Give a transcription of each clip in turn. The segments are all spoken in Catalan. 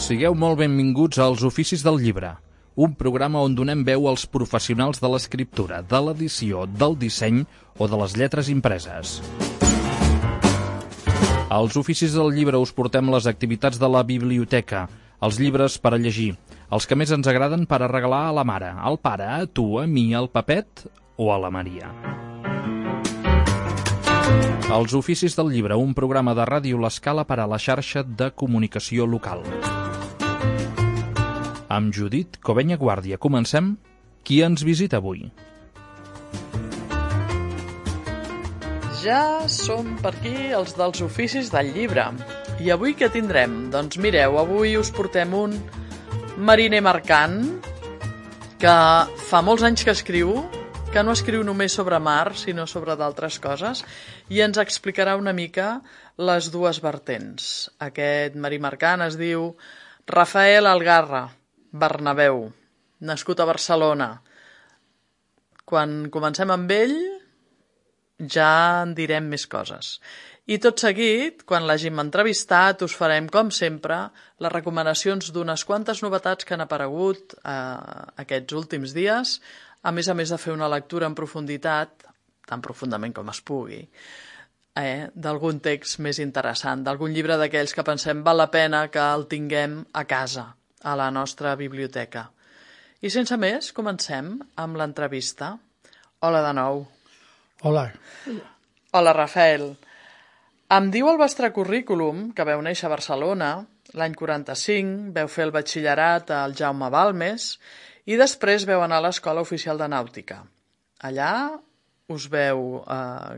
Sigueu molt benvinguts als Oficis del Llibre, un programa on donem veu als professionals de l'escriptura, de l'edició, del disseny o de les lletres impreses. Als Oficis del Llibre us portem les activitats de la biblioteca, els llibres per a llegir, els que més ens agraden per a regalar a la mare, al pare, a tu, a mi, al Pepet o a la Maria. Els Oficis del Llibre, un programa de Ràdio L'Escala per a la xarxa de comunicació local. Amb Judit Covenya Guàrdia comencem. Qui ens visita avui? Ja som per aquí els dels Oficis del Llibre. I avui què tindrem? Doncs mireu, avui us portem un mariner mercant que fa molts anys que escriu, que no escriu només sobre mar, sinó sobre d'altres coses, i ens explicarà una mica les dues vertents. Aquest marí mercant es diu Rafael Algarra Bernabéu, nascut a Barcelona. Quan comencem amb ell ja en direm més coses. I tot seguit, quan l'hàgim entrevistat, us farem, com sempre, les recomanacions d'unes quantes novetats que han aparegut aquests últims dies, a més de fer una lectura en profunditat, tan profundament com es pugui, d'algun text més interessant, d'algun llibre d'aquells que pensem val la pena que el tinguem a casa, a la nostra biblioteca. I sense més, comencem amb l'entrevista. Hola de nou. Hola. Hola, Rafael. Em diu el vostre currículum que veu néixer a Barcelona l'any 45, veu fer el batxillerat al Jaume Balmes i després veu anar a l'Escola Oficial de Nàutica. Allà us veu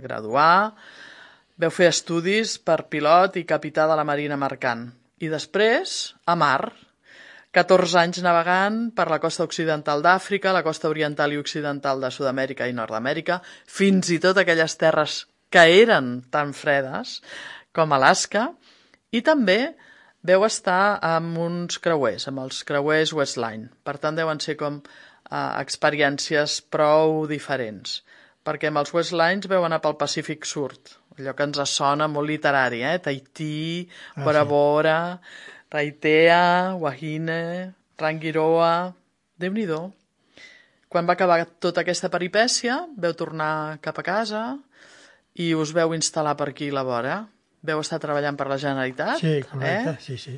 graduar, veu fer estudis per pilot i capità de la Marina Mercant. I després, a mar, 14 anys navegant per la costa occidental d'Àfrica, la costa oriental i occidental de Sud-amèrica i Nord-amèrica, fins i tot aquelles terres que eren tan fredes com Alaska, i també veu estar amb uns creuers, amb els creuers Westline. Per tant, deuen ser com experiències prou diferents, perquè amb els Westlines veu anar pel Pacífic Sud, allò que ens sona molt literari, Tahití, Bora Bora, Raitea, Wahine, Rangiroa... Déu-n'hi-do. Quan va acabar tota aquesta peripècia, veu tornar cap a casa i us veu instal·lar per aquí a la vora. Veu estar treballant per la Generalitat. Sí, correcte, sí.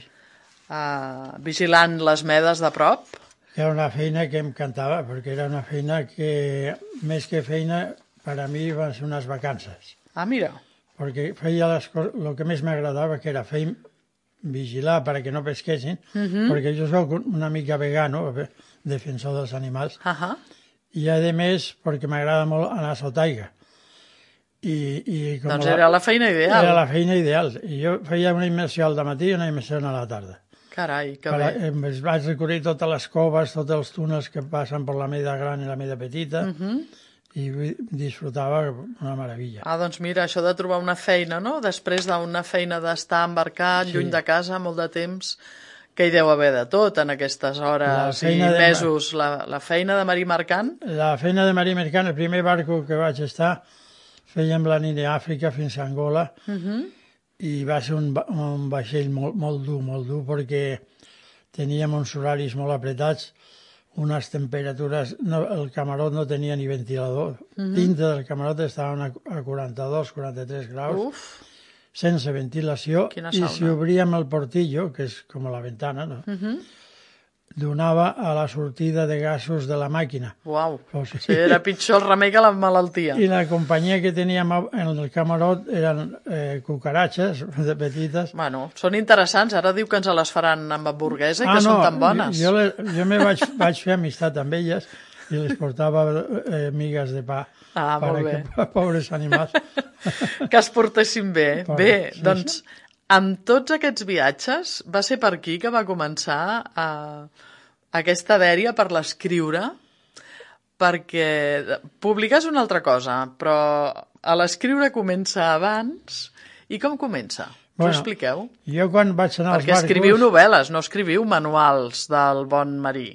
Vigilant les medes de prop. Era una feina que em encantava, perquè era una feina que, més que feina, per a mi van ser unes vacances. Ah, mira. Perquè feia les coses, el que més m'agradava, que era fer vigilar perquè no pesquessin, perquè jo soc una mica vegano, defensor dels animals, i a més perquè m'agrada molt anar a sotaigua. Doncs era la feina ideal. Era la feina ideal. I jo feia una immersió al matí i una immersió a la tarda. Carai, que bé. Vaig recorrer totes les coves, tots els túnels que passen per la Meda Gran i la Meda Petita, i disfrutava una meravella. Doncs mira, això de trobar una feina, no? Després d'una feina d'estar embarcat, lluny de casa, molt de temps, que hi deu haver de tot en aquestes hores i mesos. La feina de marí mercant? La feina de marí mercant, el primer barco que vaig estar, fèiem la nit d'Àfrica fins a Angola, i va ser un vaixell molt dur, perquè teníem uns horaris molt apretats, unes temperatures... el camarot no tenia ni ventilador. Dintre del camarot estaven a 42, 43 graus, sense ventilació, i si obríem el portillo, que és com la ventana, no? Donava a la sortida de gasos de la màquina. Uau, sí, era pitjor el remei que la malaltia. I la companyia que teníem en el camarot eren cucaratxes de petites. Bueno, són interessants. Ara diu que ens les faran amb hamburguesa i que són tan bones. Jo me vaig fer amistat amb elles i les portava migues de pa. Molt bé. Pobres animals. Que es portessin bé. Bé, doncs... Amb tots aquests viatges, va ser per aquí que va començar aquesta dèria per l'escriure, perquè publicar és una altra cosa, però a l'escriure comença abans. I com comença? Us ho expliqueu? Jo quan vaig anar als barcos... Perquè escriviu novel·les, no escriviu manuals del bon marí.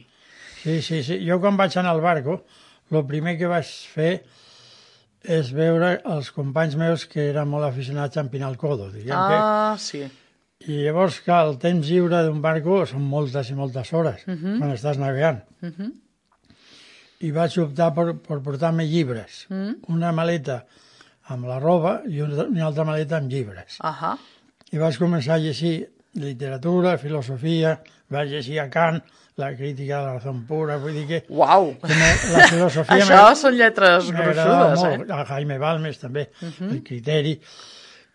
Sí. Jo quan vaig anar al barco, el primer que vaig fer és veure els companys meus que eren molt aficionats a empinar el codo, diguem sí. I llavors, clar, el temps lliure d'un barco són moltes i moltes hores, quan estàs navegant. I vaig optar per portar-me llibres. Una maleta amb la roba i una altra maleta amb llibres. I vaig començar a llegir literatura, filosofia, vaig llegir a Kant, la crítica de la raó pura, vull dir que... Uau! La filosofia... Això són lletres gruixudes, molt. A Jaime Balmes, també, el criteri.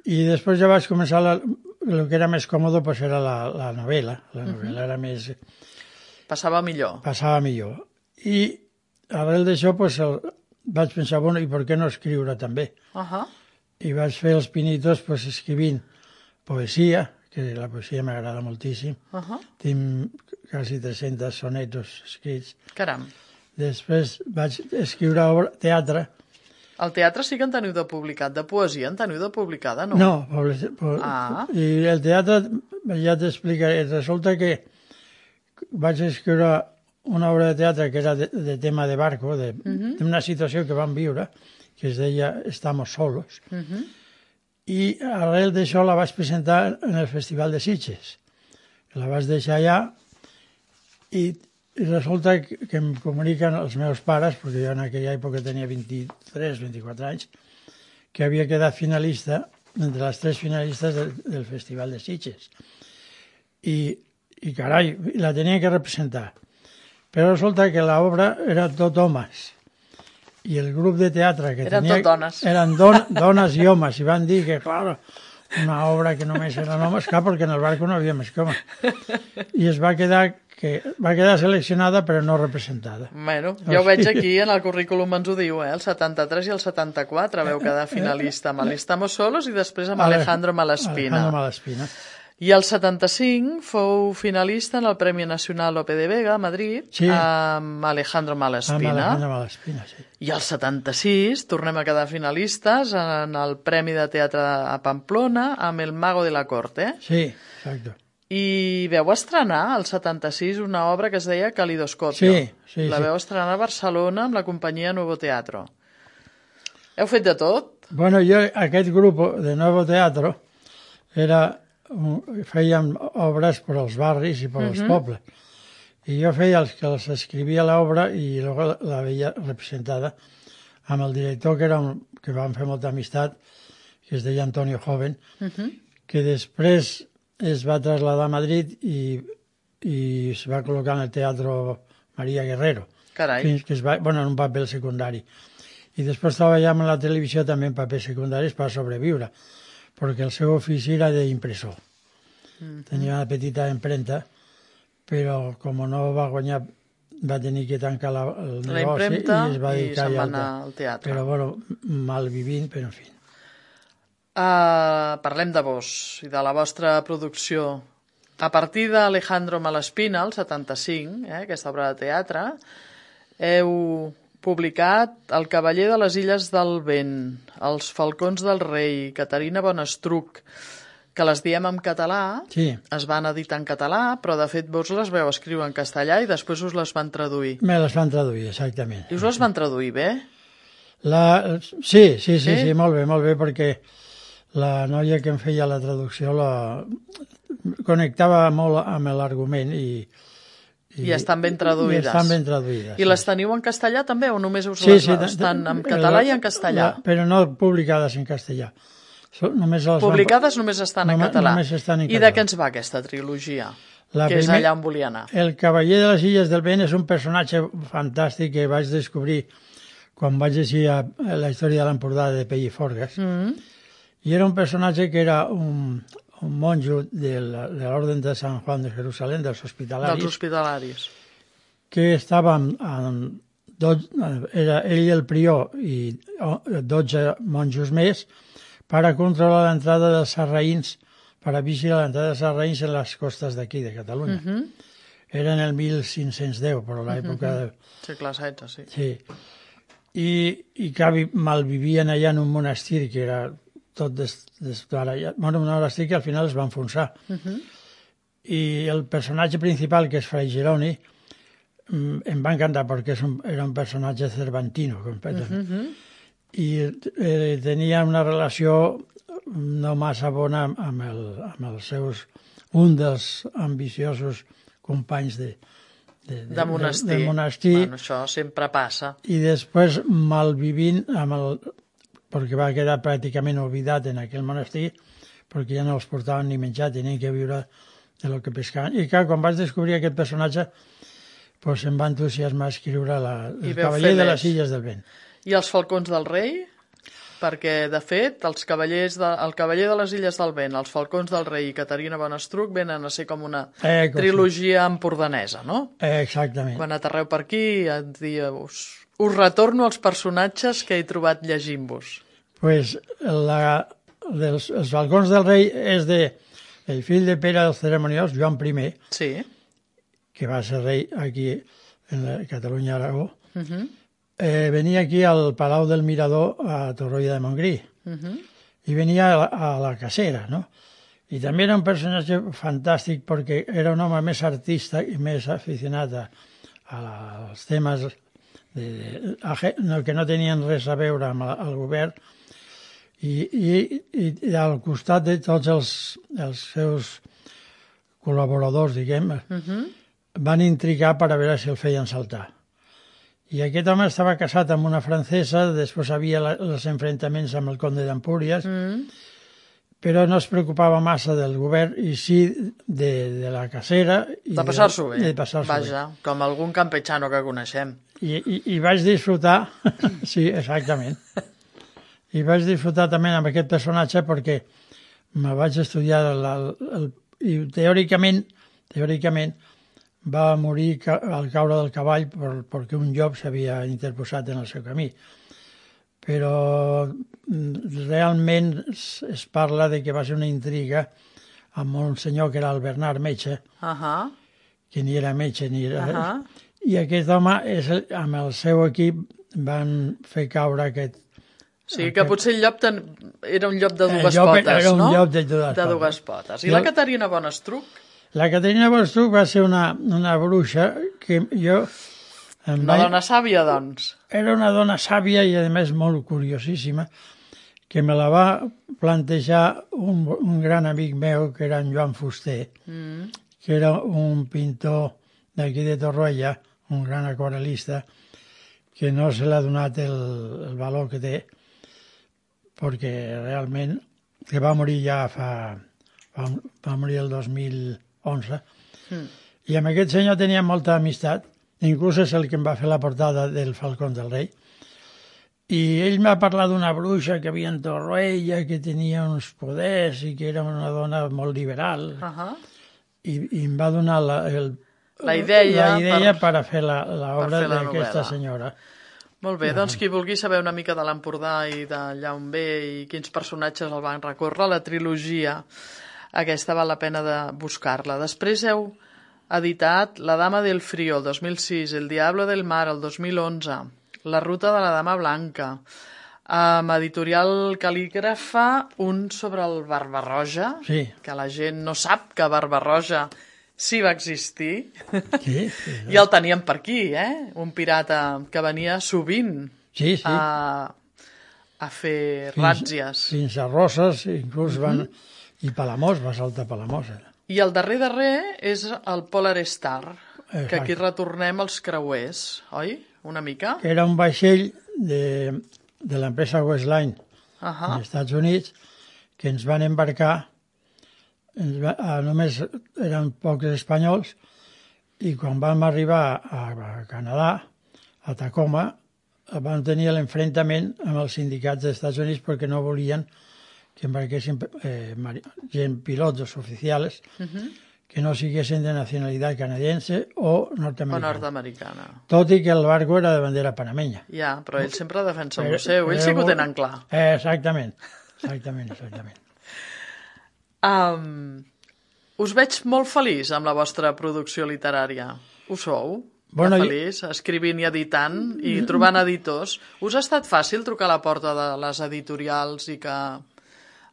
I després ja vaig començar... El que era més còmode pues, era la novel·la. La novel·la era més... Passava millor. Passava millor. I arrel d'això pues, vaig pensar, bueno, i per què no escriure també? I vaig fer els pinitos pues, escrivint poesia, que la poesia m'agrada moltíssim. Tinc quasi 300 sonetos escrits. Caram. Després vaig escriure teatre. El teatre sí que en teniu de publicat. De poesia en teniu de publicada, no? No. I el teatre, ja t'explicaré, resulta que vaig escriure una obra de teatre que era de tema de barco, d'una situació que vam viure, que es deia Estamos solos, i arrel d'això la vaig presentar en el Festival de Sitges. La vaig deixar allà i resulta que em comuniquen els meus pares, perquè jo en aquella època tenia 23-24 anys, que havia quedat finalista, entre les 3 finalistes del Festival de Sitges. I carai, la tenia que representar. Però resulta que l'obra era tot homes. I el grup de teatre que eren tenia... tot dones. Eren dones i homes. I van dir que, clar, una obra que només eren homes, clar, perquè en el barco no havia més que homes. I va quedar seleccionada però no representada. Bueno, ja ho veig aquí, en el currículum ens ho diu, el 73 i el 74 veu quedar finalista amb Estamos solos i després amb Alejandro Malaspina. I el 75 fou finalista en el Premi Nacional Lope de Vega a Madrid amb Alejandro Malaspina. I el 76 tornem a quedar finalistes en el Premi de Teatre a Pamplona amb El Mago de la Corte. Sí, exacte. I veu estrenar al 76 una obra que es deia Calidoscopio. Sí. La veu estrenar a Barcelona amb la companyia Nuevo Teatro. Heu fet de tot? Bueno, jo, aquest grup de Nuevo Teatro fèiem obres per als barris i per als pobles. I jo feia els que els escrivia l'obra i després la veia representada amb el director que vam fer molta amistat, que es deia Antonio Joven, que després es va traslladar a Madrid i es va col·locar en el Teatro María Guerrero. Carai. Fins que en un paper secundari. I després treballàvem en la televisió també en papers secundaris per sobreviure, perquè el seu ofici era d'impressor. Tenia una petita impremta, però com no va guanyar, va tenir que tancar el negoci i es va dedicar se'n va anar al teatre. Però, bueno, malvivint, però en fi. Parlem de vos i de la vostra producció. A partir d'Alejandro Malaspina, el 75, aquesta obra de teatre, heu publicat El cavaller de les Illes del Vent, Els falcons del rei, Caterina Bonestruc, que les diem en català, es van editar en català, però de fet vos les veu escriure en castellà i després us les van traduir. Me les van traduir, exactament. I us les van traduir bé? Sí, molt bé, perquè la noia que em feia la traducció connectava molt amb l'argument i estan ben traduïdes. I les teniu en castellà també o només us les estan en català i en castellà? Però no publicades en castellà. Publicades només estan en català. I de què ens va aquesta trilogia? Que és allà on volia anar. El cavaller de les Illes del Vent és un personatge fantàstic que vaig descobrir quan vaig llegir la història de l'Empordà de Pelliforgues. I era un personatge que era un monjo de l'Orden de Sant Juan de Jerusalem, dels hospitalaris. Que estava era ell el prior i 12 monjos més per a controlar l'entrada dels sarraïns, per a vigilar l'entrada dels sarraïns en les costes d'aquí, de Catalunya. Era en el 1510, però l'època... Segle XVI, sí. Sí. I que malvivien allà en un monestir que era tot desbarallat. Bueno, un monestir que al final es va enfonsar. I el personatge principal, que és Fray Jeroni, em va encantar perquè era un personatge cervantino, completament. I tenia una relació no massa bona amb els seus... un dels ambiciosos companys de monestir. Bueno, això sempre passa. I després, malvivint perquè va quedar pràcticament oblidat en aquell monestir, perquè ja no els portaven ni menjar, tenien que viure de lo que pescaven. I clar, quan vaig descobrir aquest personatge, pues em va entusiasmar escriure el cavaller de les Illes del Vent. I els falcons del rei? Perquè, de fet, el cavaller de les Illes del Vent, els falcons del rei i Caterina Bonestruc venen a ser com una trilogia empordanesa, no? Exactament. Quan aterreu per aquí, us retorno als personatges que he trobat llegint-vos. Pues els falcons del rei és el fill de Pere el Ceremoniós, Joan I, sí, que va ser rei aquí en Catalunya-Aragó. Venia aquí al Palau del Mirador a Torroella de Montgrí i venia a la cacera, no? I també era un personatge fantàstic perquè era un home més artista i més aficionat als temes que no tenien res a veure amb el govern i al costat de tots els seus col·laboradors, diguem, van intrigar per a veure si el feien saltar. I aquest home estava casat amb una francesa, després havia els enfrontaments amb el conde d'Empúries, però no es preocupava massa del govern i sí de la cacera. De passar-s'ho bé. De passar-s'ho bé. Vaja, com algun campechano que coneixem. I vaig disfrutar, sí, exactament. I vaig disfrutar també amb aquest personatge perquè me vaig estudiar i teòricament va morir al caure del cavall perquè un llop s'havia interposat en el seu camí. Però realment es parla de que va ser una intriga amb un senyor que era el Bernard Metge, que ni era metge ni era... I aquest home, amb el seu equip, van fer caure aquest... O sigui que potser el llop era un llop de dues potes, no? Era un llop de dues potes. I la Caterina Bonestruc? La Caterina Bonestruc va ser una bruixa que jo... Una dona sàvia, doncs. Era una dona sàvia i, a més, molt curiosíssima, que me la va plantejar un gran amic meu, que era en Joan Fuster, que era un pintor d'aquí de Torroella, un gran aquarel·lista, que no se l'ha donat el valor que té, perquè realment, que va morir ja va morir el 2011, i amb aquest senyor tenia molta amistat, inclús és el que em va fer la portada del Falcón del Rei, i ell m'ha parlat d'una bruixa que havia en Torroella, que tenia uns poders i que era una dona molt liberal, i em va donar la idea per a fer l'obra d'aquesta senyora. Molt bé, doncs qui vulgui saber una mica de l'Empordà i d'allà on ve i quins personatges el van recórrer, la trilogia aquesta val la pena de buscar-la. Després heu editat La dama del frío, el 2006, El diablo del mar, el 2011, La ruta de la dama blanca, amb editorial Cal·lígrafa, un sobre el Barbarroja, que la gent no sap que Barbarroja sí va existir, i el teníem per aquí, un pirata que venia sovint a fer ràtzies. Fins a Roses, inclús van... I Palamós, va saltar Palamós. I el darrer és el Polar Star, que aquí retornem als creuers, oi? Una mica? Era un vaixell de l'empresa Westline als Estats Units que ens van embarcar, només eren pocs espanyols, i quan vam arribar a Canadà, a Tacoma, van tenir l'enfrontament amb els sindicats dels Estats Units perquè no volien que embarquessin pilots o oficials que no siguessin de nacionalitat canadiense o nord-americana. Tot i que el barco era de bandera panamenya. Ja, però ells sempre defensen el seu, ells sí que ho tenen clar. Exactament. Us veig molt feliç amb la vostra producció literària. Ho sou? Feliç, escrivint i editant i trobant editors. Us ha estat fàcil trucar a la porta de les editorials i que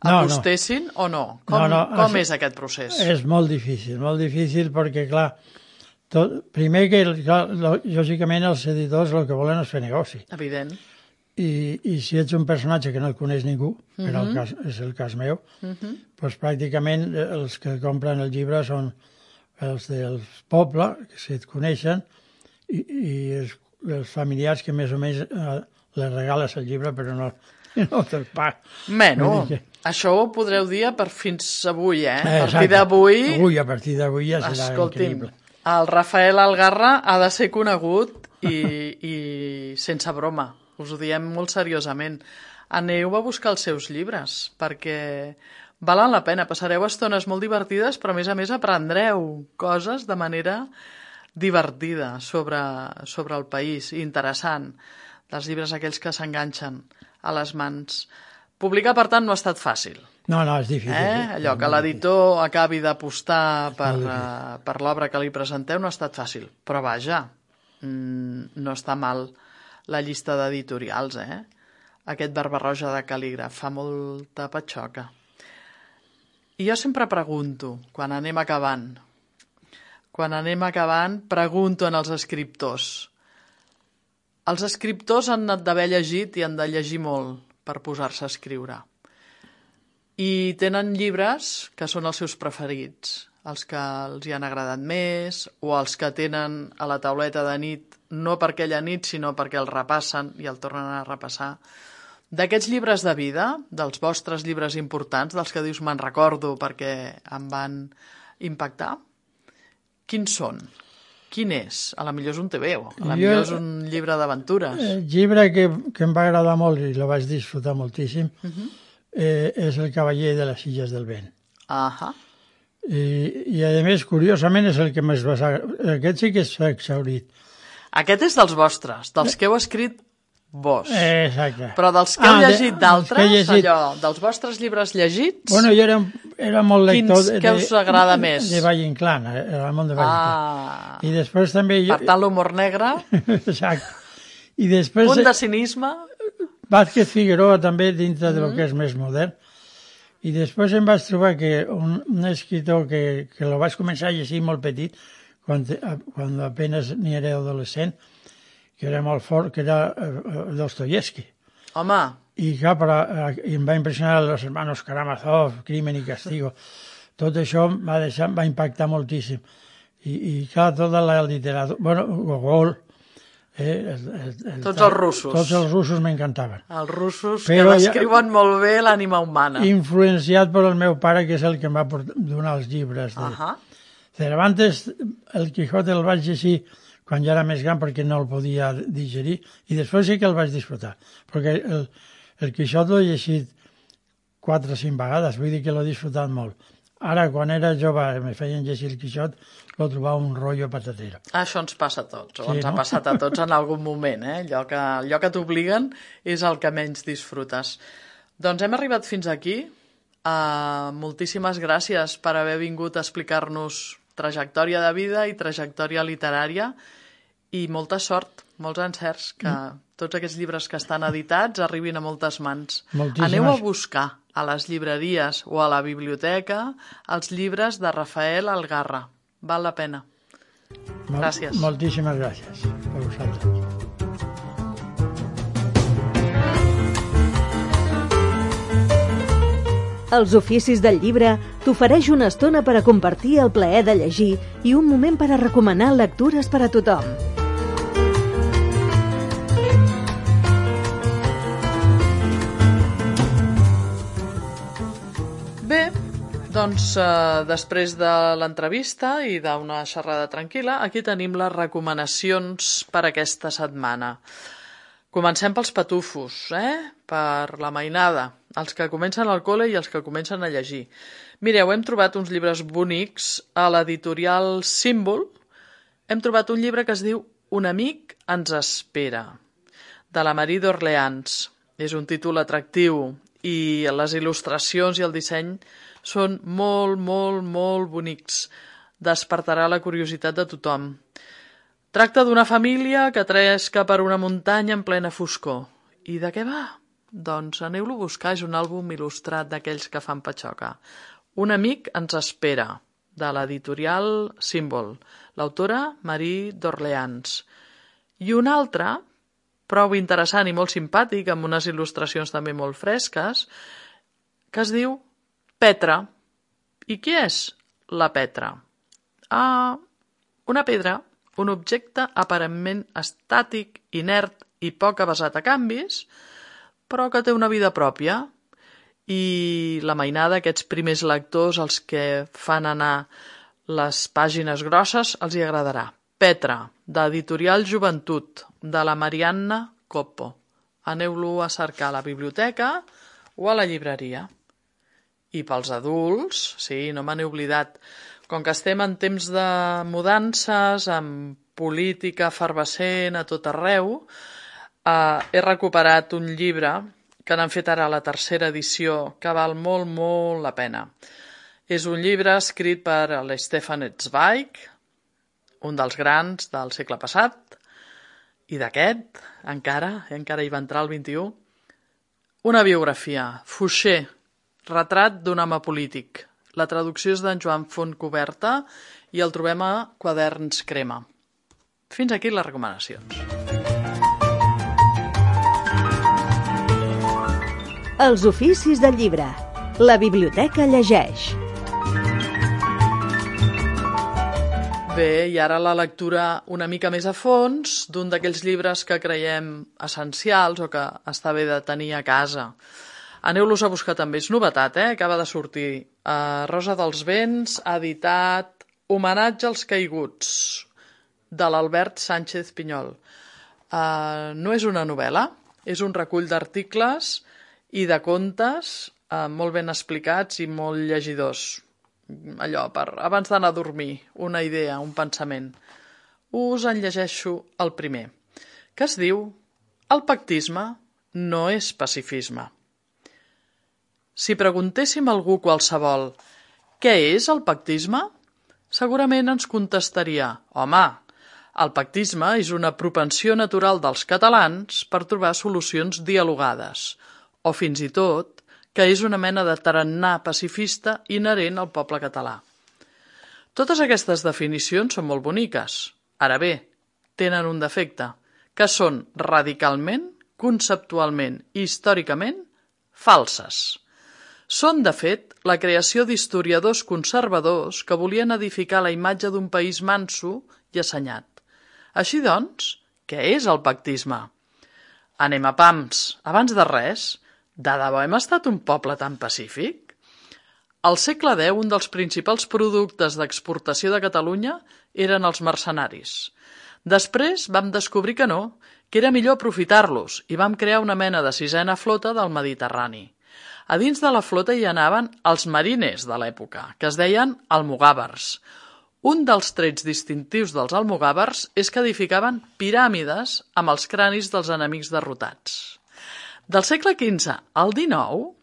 apostessin o no? Com és aquest procés? És molt difícil perquè, clar, primer que, lògicament, els editors el que volen és fer negoci. Evident. i si ets un personatge que no el coneix ningú, és el cas meu, doncs pràcticament els que compren el llibre són els del poble, que si et coneixen, i els familiars que més o menys les regales el llibre, però no te'l paguen. Bueno, això ho podreu dir fins avui, A partir d'avui ja serà increïble. El Rafael Algarra ha de ser conegut i sense broma. Us ho diem molt seriosament. Aneu a buscar els seus llibres, perquè valen la pena. Passareu estones molt divertides, però a més aprendreu coses de manera divertida sobre el país, interessant, dels llibres aquells que s'enganxen a les mans. Publicar, per tant, no ha estat fàcil. No, és difícil. Allò que l'editor acabi d'apostar per l'obra que li presenteu no ha estat fàcil. Però vaja, no està mal la llista d'editorials, Aquest Barba-roja de Cal·lígraf fa molta patxoca. I jo sempre pregunto, quan anem acabant, pregunto als escriptors. Els escriptors han d'haver llegit i han de llegir molt per posar-se a escriure. I tenen llibres que són els seus preferits, els que els hi han agradat més, o els que tenen a la tauleta de nit, no per aquella nit, sinó perquè el repassen i el tornen a repassar. D'aquests llibres de vida, dels vostres llibres importants, dels que dius me'n recordo perquè em van impactar, quins són? Quin és? A la millor és un TVO, a la millor és un llibre d'aventures. El llibre que em va agradar molt i el vaig disfrutar moltíssim és El cavaller de les illes del vent. I a més, curiosament, és el que més va... Aquest sí que és exhaurit. Aquest és dels vostres, dels que heu escrit vos. Exacte. Però dels que heu llegit d'altres, allò, dels vostres llibres llegits... Bueno, jo era molt lector... Quins que us agrada més? De Valle Inclán, el món de Valle Inclán. I després també... Per tant, l'humor negre... Exacte. I després... Un de cinisme... Vázquez Figueroa també, dintre del que és més modern. I després em vaig trobar que un escritor que el vaig començar a llegir molt petit, quan apenas ni era adolescent, que era molt fort, que era Dostoyevsky. Home! I clar, em va impressionar Los hermanos Karamazov, Crimen y Castigo. Tot això va impactar moltíssim. I clar, tota la literatura... Bueno, Gogol... Tots els russos. Tots els russos m'encantaven. Els russos que descriuen molt bé l'ànima humana. Influenciat per el meu pare, que és el que em va donar els llibres. Cervantes, el Quijote el vaig llegir quan ja era més gran perquè no el podia digerir, i després sí que el vaig disfrutar, perquè el Quixot l'he llegit 4 o 5 vegades, vull dir que l'he disfrutat molt. Ara, quan era jove, me feien llegir el Quixot, lo trobava un rotllo patatero. Això ens passa a tots, o ens ha passat a tots en algun moment, allò que t'obliguen és el que menys disfrutes. Doncs hem arribat fins aquí. Moltíssimes gràcies per haver vingut a explicar-nos trajectòria de vida i trajectòria literària, i molta sort, molts encerts, que tots aquests llibres que estan editats arribin a moltes mans. Aneu a buscar a les llibreries o a la biblioteca els llibres de Rafael Algarra. Val la pena. Gràcies. Moltíssimes gràcies a vosaltres. Els oficis del llibre t'ofereix una estona per a compartir el plaer de llegir i un moment per a recomanar lectures per a tothom. Bé, doncs després de l'entrevista i d'una xerrada tranquil·la, aquí tenim les recomanacions per aquesta setmana. Comencem pels patufos, per la mainada, els que comencen al col·le i els que comencen a llegir. Mireu, hem trobat uns llibres bonics a l'editorial Símbol. Hem trobat un llibre que es diu Un amic ens espera, de la Marie d'Orleans. És un títol atractiu i les il·lustracions i el disseny són molt, molt, molt bonics. Despertarà la curiositat de tothom. Tracta d'una família que tresca per una muntanya en plena foscor. I de què va? Doncs aneu-lo a buscar, és un àlbum il·lustrat d'aquells que fan patxoca. Un amic ens espera, de l'editorial Símbol. L'autora, Marie d'Orleans. I un altre, prou interessant i molt simpàtic, amb unes il·lustracions també molt fresques, que es diu Petra. I què és la Petra? Una pedra, un objecte aparentment estàtic, inert i poc avesat a canvis, però que té una vida pròpia. I la mainada, aquests primers lectors, els que fan anar les pàgines grosses, els hi agradarà. Petra, d'Editorial Joventut, de la Marianna Coppo. Aneu-lo a cercar a la biblioteca o a la llibreria. I pels adults, sí, no me n'he oblidat, com que estem en temps de mudances, amb política efervescent a tot arreu, he recuperat un llibre que n'han fet ara la tercera edició, que val molt, molt la pena. És un llibre escrit per l'Stefan Zweig, un dels grans del segle passat, i d'aquest, encara hi va entrar el 21, una biografia, Fouché, retrat d'un home polític. La traducció és d'en Joan Fontcoberta i el trobem a Quaderns Crema. Fins aquí les recomanacions. Els oficis del llibre. La biblioteca llegeix. Bé, i ara la lectura una mica més a fons d'un d'aquells llibres que creiem essencials o que està bé de tenir a casa. Aneu-los a buscar també, és novetat, acaba de sortir. Rosa dels Vents ha editat Homenatge als caiguts, de l'Albert Sánchez Pinyol. No és una novel·la, és un recull d'articles i de contes molt ben explicats i molt llegidors. Allò, abans d'anar a dormir, una idea, un pensament. Us en llegeixo el primer, que es diu El pactisme no és pacifisme. Si preguntéssim a algú qualsevol què és el pactisme, segurament ens contestaria: home, el pactisme és una propensió natural dels catalans per trobar solucions dialogades, o fins i tot que és una mena de tarannà pacifista inherent al poble català. Totes aquestes definicions són molt boniques. Ara bé, tenen un defecte, que són radicalment, conceptualment i històricament falses. Són, de fet, la creació d'historiadors conservadors que volien edificar la imatge d'un país manso i assenyat. Així doncs, què és el pactisme? Anem a pams. Abans de res, de debò hem estat un poble tan pacífic? Al segle X, un dels principals productes d'exportació de Catalunya eren els mercenaris. Després vam descobrir que no, que era millor aprofitar-los i vam crear una mena de sisena flota del Mediterrani. A dins de la flota hi anaven els marines de l'època, que es deien almogàvers. Un dels trets distintius dels almogàvers és que edificaven piràmides amb els cranis dels enemics derrotats. Del segle XV al XIX,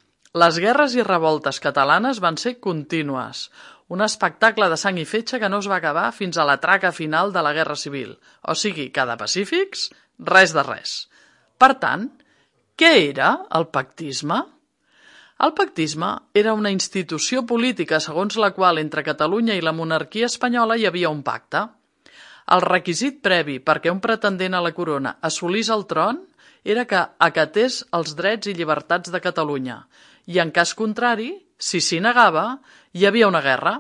les guerres i revoltes catalanes van ser contínues, un espectacle de sang i fetge que no es va acabar fins a la traca final de la Guerra Civil. O sigui, que de pacífics, res de res. Per tant, què era el pactisme? El pactisme era una institució política segons la qual entre Catalunya i la monarquia espanyola hi havia un pacte. El requisit previ perquè un pretendent a la corona assolís el tron era que acatés els drets i llibertats de Catalunya i, en cas contrari, si s'hi negava, hi havia una guerra.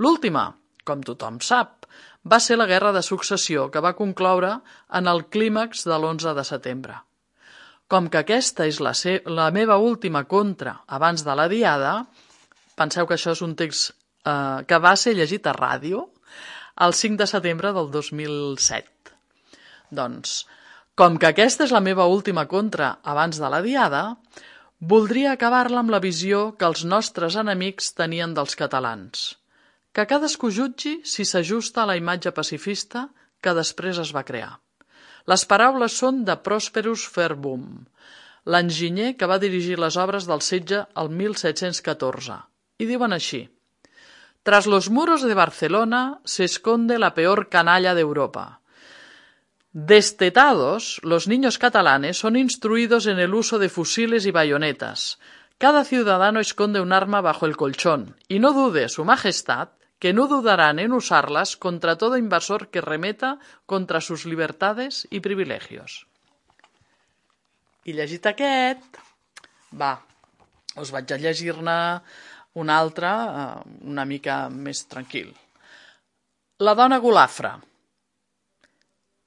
L'última, com tothom sap, va ser la Guerra de Successió, que va concloure en el clímax de l'11 de setembre. Com que aquesta és la meva última contra abans de la diada, penseu que això és un text que va ser llegit a ràdio el 5 de setembre del 2007. Doncs, com que aquesta és la meva última contra abans de la diada, voldria acabar-la amb la visió que els nostres enemics tenien dels catalans. Que cadascú jutgi si s'ajusta a la imatge pacifista que després es va crear. Les paraules són de Prosperus Verbum, l'enginyer que va dirigir les obres del setge el 1714, i diuen així: Tras los muros de Barcelona se esconde la peor canalla de Europa. Destetados, los niños catalanes son instruidos en el uso de fusiles y bayonetas. Cada ciudadano esconde un arma bajo el colchón, y no dude su majestad que no dudarán en usarlas contra todo invasor que remeta contra sus libertades y privilegios. I llegit aquest, us vaig a llegir-ne un altre, una mica més tranquil. La dona golafra.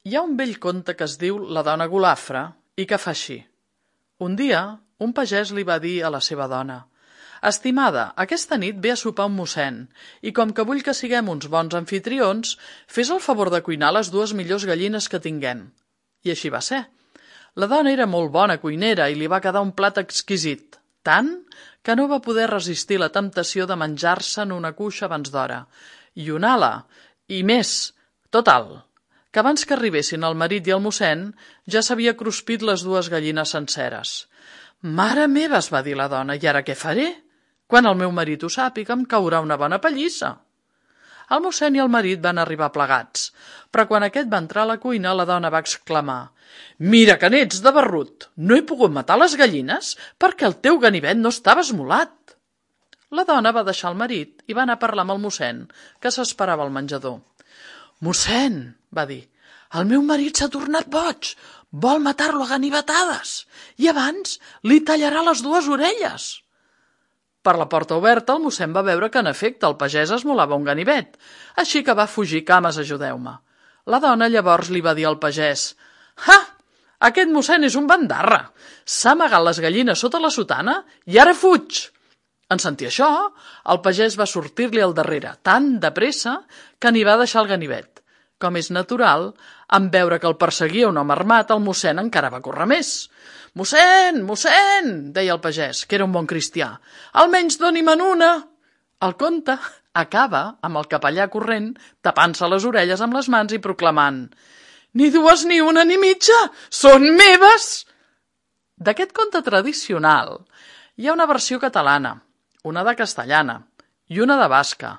Hi ha un vell conte que es diu La dona golafra i que fa així. Un dia, un pagès li va dir a la seva dona: «Estimada, aquesta nit ve a sopar un mossèn, i com que vull que siguem uns bons anfitrions, fes el favor de cuinar les 2 millors gallines que tinguem». I així va ser. La dona era molt bona cuinera i li va quedar un plat exquisit, tant que no va poder resistir la temptació de menjar-se'n una cuixa abans d'hora, i una ala, i més, total, que abans que arribessin el marit i el mossèn ja s'havia cruspit les 2 gallines senceres. «Mare meva», es va dir la dona, «i ara què faré? Quan el meu marit ho sàpiga em caurà una bona pallissa». El mossèn i el marit van arribar plegats, però quan aquest va entrar a la cuina la dona va exclamar: «Mira que n'ets de barrut! No he pogut matar les gallines perquè el teu ganivet no estava esmolat». La dona va deixar el marit i va anar a parlar amb el mossèn, que s'esperava al menjador. «Mossèn», va dir, «el meu marit s'ha tornat boig, vol matar-lo a ganivetades i abans li tallarà les 2 orelles». Per la porta oberta el mossèn va veure que en efecte el pagès esmolava un ganivet, així que va fugir cames, ajudeu-me. La dona llavors li va dir al pagès: «Ha! Aquest mossèn és un bandarra! S'ha amagat les gallines sota la sotana i ara fuig!» En sentir això, el pagès va sortir-li al darrere, tan de pressa que n'hi va deixar el ganivet. Com és natural, en veure que el perseguia un home armat, el mossèn encara va córrer més. «Mossèn, mossèn!», deia el pagès, que era un bon cristià, «almenys doni-me'n una!» El conte acaba amb el capellà corrent, tapant-se les orelles amb les mans i proclamant: «Ni 2 ni 1 ni mitja! Són meves!» D'aquest conte tradicional hi ha una versió catalana, una de castellana i una de basca,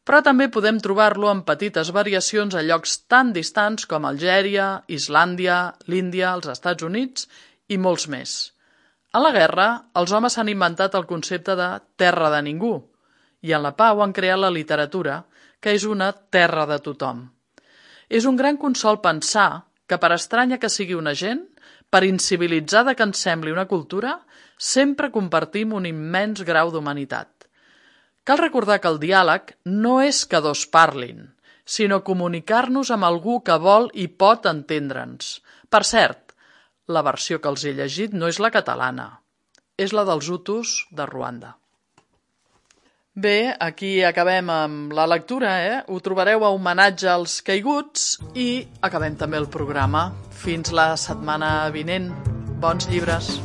però també podem trobar-lo en petites variacions a llocs tan distants com Algèria, Islàndia, l'Índia, els Estats Units i molts més. A la guerra, els homes s'han inventat el concepte de terra de ningú, i en la pau han creat la literatura, que és una terra de tothom. És un gran consol pensar que, per estranya que sigui una gent, per incivilitzada que ens sembli una cultura, sempre compartim un immens grau d'humanitat. Cal recordar que el diàleg no és que 2 parlin, sinó comunicar-nos amb algú que vol i pot entendre'ns. Per cert, la versió que els he llegit no és la catalana, és la dels hutus de Ruanda. Bé, aquí acabem amb la lectura, Ho trobareu a homenatge als caiguts i acabem també el programa. Fins la setmana vinent. Bons llibres.